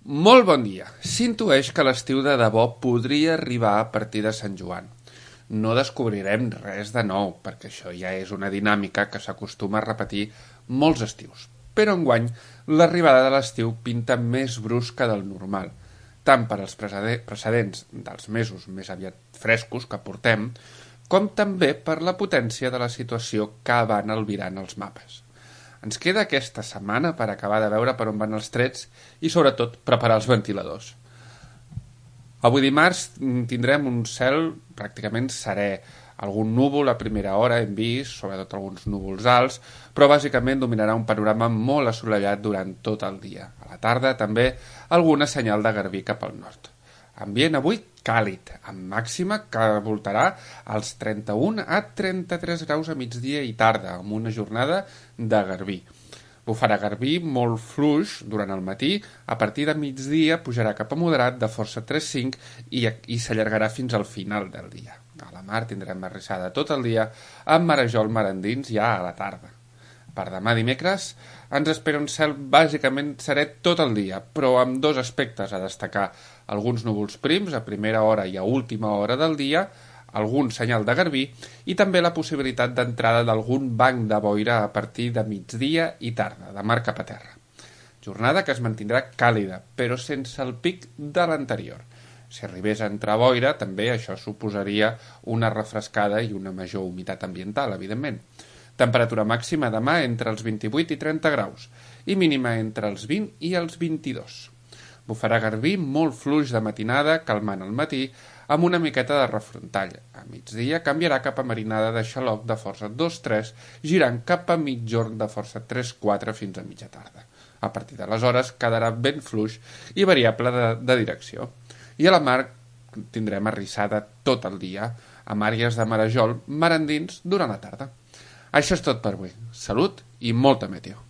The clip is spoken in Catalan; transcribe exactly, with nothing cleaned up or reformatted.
Molt bon dia. S'intueix que l'estiu de debò podria arribar a partir de Sant Joan. No descobrirem res de nou, perquè això ja és una dinàmica que s'acostuma a repetir molts estius. Però enguany, l'arribada de l'estiu pinta més brusca del normal, tant per als precedents dels mesos més aviat frescos que portem, com també per la potència de la situació que van albirant els mapes. Ens queda aquesta setmana per acabar de veure per on van els trets i, sobretot, preparar els ventiladors. Avui dimarts tindrem un cel pràcticament serè. Algun núvol a primera hora hem vist, sobretot alguns núvols alts, però bàsicament dominarà un panorama molt assolellat durant tot el dia. A la tarda també alguna senyal de garbí cap al nord. Ambient avui càlid, amb màxima que voltarà als trenta-un a trenta-tres graus a migdia i tarda, amb una jornada de garbí. Bufarà garbí molt fluix durant el matí, a partir de migdia pujarà cap a moderat de força tres coma cinc i, i s'allargarà fins al final del dia. A la mar tindrem arrissada tot el dia, amb marejol marandins ja a la tarda. Per demà dimecres ens espera un cel bàsicament serè tot el dia, però amb dos aspectes a destacar: alguns núvols prims a primera hora i a última hora del dia, algun senyal de garbí i també la possibilitat d'entrada d'algun banc de boira a partir de migdia i tarda, de mar cap a terra. Jornada que es mantindrà càlida, però sense el pic de l'anterior. Si arribés a entrar boira, també això suposaria una refrescada i una major humitat ambiental, evidentment. Temperatura màxima demà entre els vint-i-vuit i trenta graus i mínima entre els vint i els vint-i-dos. Bufarà garbí molt fluix de matinada, calmant al matí, amb una miqueta de refrontall. A migdia canviarà cap a marinada de xaloc de força dos tres, girant cap a mitjorn de força tres quatre fins a mitja tarda. A partir d'aleshores quedarà ben fluix i variable de, de direcció. I a la mar tindrem arrissada tot el dia, amb àrees de marejol marandins durant la tarda. Això és tot per avui. Salut i molta meteo.